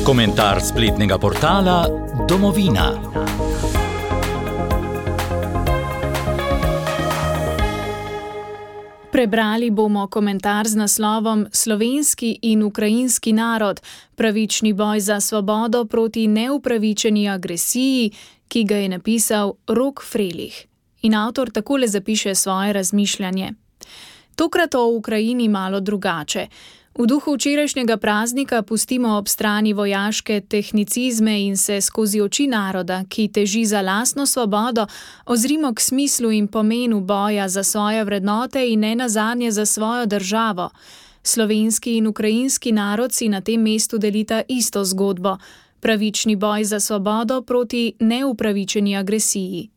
Komentar spletnega portala Domovina. Prebrali bomo komentar z naslovom Slovenski in ukrajinski narod, pravični boj za svobodo proti neupravičeni agresiji, ki ga je napisal Rok Frelih. In avtor takole zapiše svoje razmišljanje. Tokrat o Ukrajini malo drugače. V duhu včerajšnjega praznika pustimo ob strani vojaške tehnicizme in se skozi oči naroda, ki teži za lastno svobodo, ozrimo k smislu in pomenu boja za svoje vrednote in nenazadnje za svojo državo. Slovenski in ukrajinski narod si na tem mestu delita isto zgodbo. Pravični boj za svobodo proti neupravičeni agresiji.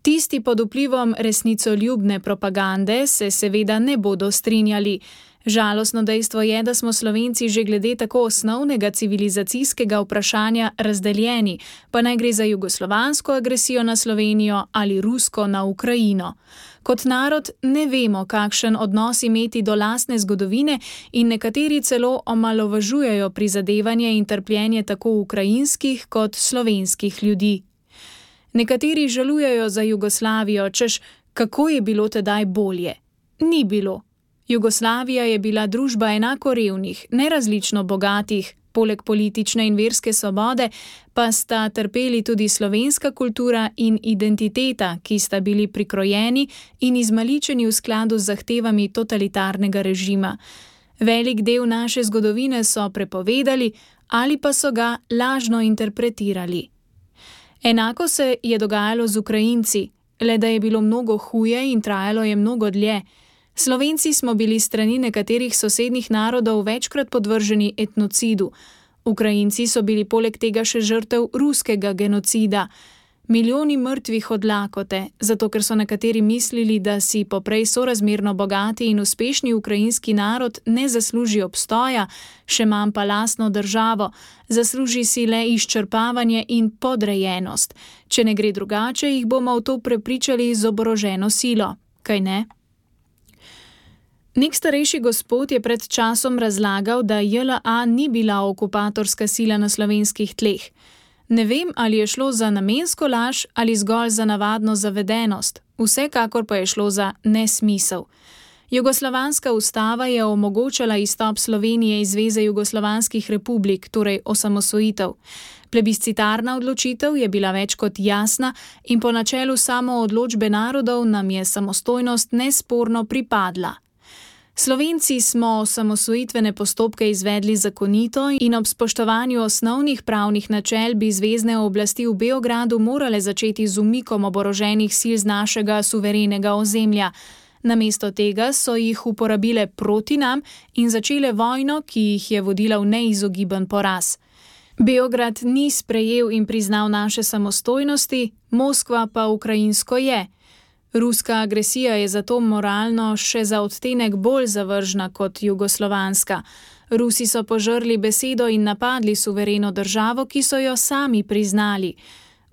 Tisti pod vplivom resnicoljubne propagande se seveda ne bodo strinjali. Žalostno dejstvo je, da smo Slovenci že glede tako osnovnega civilizacijskega vprašanja razdeljeni, pa naj gre za jugoslovansko agresijo na Slovenijo ali rusko na Ukrajino. Kot narod ne vemo, kakšen odnos imeti do lastne zgodovine in nekateri celo omalovažujejo prizadevanje in trpljenje tako ukrajinskih kot slovenskih ljudi. Nekateri žalujejo za Jugoslavijo, češ kako je bilo tedaj bolje. Ni bilo. Jugoslavija je bila družba enako revnih, nerazlično bogatih, poleg politične in verske svobode pa sta trpeli tudi slovenska kultura in identiteta, ki sta bili prikrojeni in izmaličeni v skladu z zahtevami totalitarnega režima. Velik del naše zgodovine so prepovedali ali pa so ga lažno interpretirali. Enako se je dogajalo z Ukrajinci, le da je bilo mnogo huje in trajalo je mnogo dlje. Slovenci smo bili strani nekaterih sosednjih narodov večkrat podvrženi etnocidu. Ukrajinci so bili poleg tega še žrtev ruskega genocida. Milijoni mrtvih od lakote, zato ker so nekateri mislili, da si poprej sorazmerno bogati in uspešni ukrajinski narod ne zasluži obstoja, še manj pa lastno državo, zasluži si le izčrpavanje in podrejenost. Če ne gre drugače, jih bomo v to prepričali z oboroženo silo, kaj ne? Nek starejši gospod je pred časom razlagal, da JLA ni bila okupatorska sila na slovenskih tleh. Ne vem, ali je šlo za namensko laž ali zgolj za navadno zavedenost, vsekakor pa je šlo za nesmisel. Jugoslovanska ustava je omogočala izstop Slovenije iz Zveze jugoslovanskih republik, torej osamosvojitev. Plebiscitarna odločitev je bila več kot jasna in po načelu samoodločbe narodov nam je samostojnost nesporno pripadla. Slovenci smo osamosvojitvene postopke izvedli zakonito in ob spoštovanju osnovnih pravnih načel bi zvezne oblasti v Beogradu morale začeti z umikom oboroženih sil z našega suverenega ozemlja. Namesto tega so jih uporabile proti nam in začele vojno, ki jih je vodila v neizogiben poraz. Beograd ni sprejel in priznal naše samostojnosti, Moskva pa ukrajinsko je. Ruska agresija je zato moralno še za odtenek bolj zavržna kot jugoslovanska. Rusi so požrli besedo in napadli suvereno državo, ki so jo sami priznali.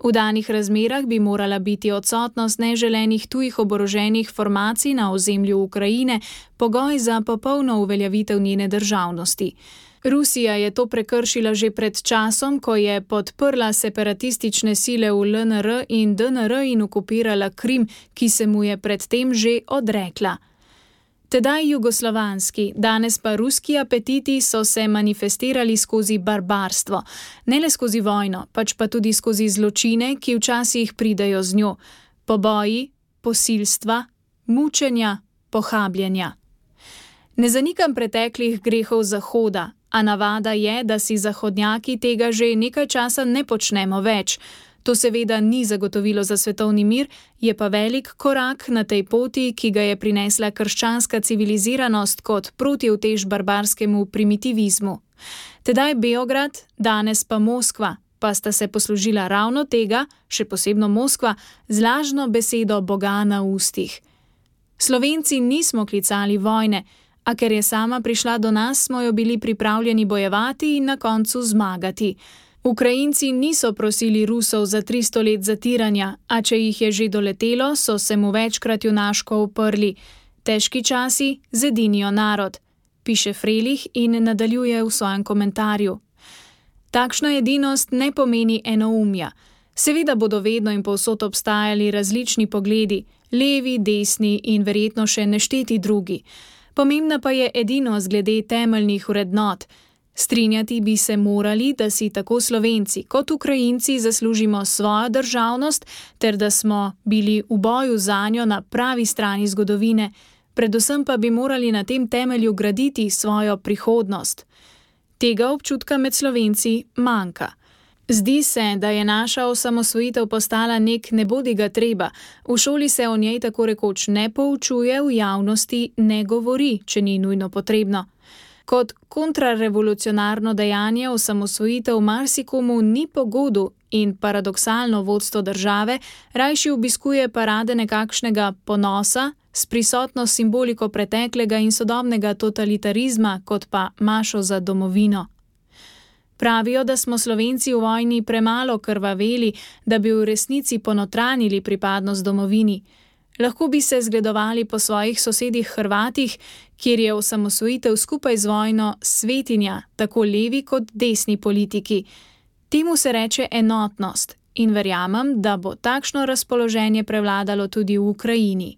V danih razmerah bi morala biti odsotnost neželenih tujih oboroženih formacij na ozemlju Ukrajine pogoj za popolno uveljavitev njene državnosti. Rusija je to prekršila že pred časom, ko je podprla separatistične sile v LNR in DNR in okupirala Krim, ki se mu je predtem že odrekla. Tedaj jugoslovanski, danes pa ruski apetiti so se manifestirali skozi barbarstvo, ne le skozi vojno, pač pa tudi skozi zločine, ki včasih pridejo z njo. Poboji, posilstva, mučenja, pohabljanja. Ne zanikam preteklih grehov Zahoda, a navada je, da si zahodnjaki tega že nekaj časa ne počnemo več. To seveda ni zagotovilo za svetovni mir, je pa velik korak na tej poti, ki ga je prinesla krščanska civiliziranost kot protiutež barbarskemu primitivizmu. Tedaj Beograd, danes pa Moskva, pa sta se poslužila ravno tega, še posebno Moskva, z lažno besedo Boga na ustih. Slovenci nismo klicali vojne, a ker je sama prišla do nas, smo jo bili pripravljeni bojevati in na koncu zmagati. Ukrajinci niso prosili Rusov za 300 let zatiranja, a če jih je že doletelo, so se mu večkrat junaško uprli. Težki časi zedinijo narod, piše Frelih in nadaljuje v svojem komentarju. Takšna edinost ne pomeni enoumja. Seveda bodo vedno in povsod obstajali različni pogledi, levi, desni in verjetno še nešteti drugi. Pomembna pa je edinost glede temeljnih vrednot. Strinjati bi se morali, da si tako Slovenci kot Ukrajinci zaslužimo svojo državnost ter da smo bili v boju zanjo na pravi strani zgodovine, predvsem pa bi morali na tem temelju graditi svojo prihodnost. Tega občutka med Slovenci manjka. Zdi se, da je naša osamosvojitev postala nek nebodigatreba, v šoli se o njej tako rekoč ne poučuje, v javnosti ne govori, če ni nujno potrebno. Kot kontrarevolucionarno dejanje osamosvojitev marsikomu ni pogodu in paradoksalno vodstvo države rajši obiskuje parade nekakšnega ponosa s prisotno simboliko preteklega in sodobnega totalitarizma kot pa mašo za domovino. Pravijo, da smo Slovenci v vojni premalo krvaveli, da bi v resnici ponotranili pripadnost domovini. Lahko bi se zgledovali po svojih sosedih Hrvatih, kjer je osamosvojitev skupaj z vojno svetinja, tako levi kot desni politiki. Temu se reče enotnost in verjamem, da bo takšno razpoloženje prevladalo tudi v Ukrajini.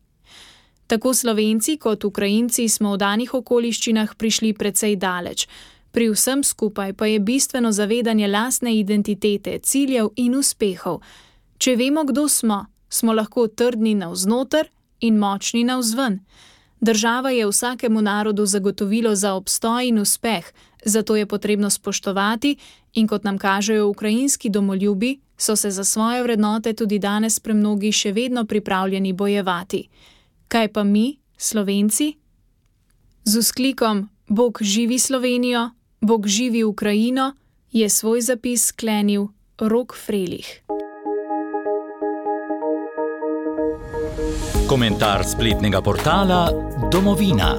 Tako Slovenci kot Ukrajinci smo v danih okoliščinah prišli precej daleč. Pri vsem skupaj pa je bistveno zavedanje lastne identitete, ciljev in uspehov. Če vemo, kdo smo, smo lahko trdni navznoter in močni navzven. Država je vsakemu narodu zagotovilo za obstoj in uspeh, zato je potrebno spoštovati in kot nam kažejo ukrajinski domoljubi, so se za svoje vrednote tudi danes premnogi še vedno pripravljeni bojevati. Kaj pa mi, Slovenci? Z vzklikom Bog živi Slovenijo, Bog živi Ukrajino, je svoj zapis sklenil Rok Frelih. Komentar spletnega portala Domovina.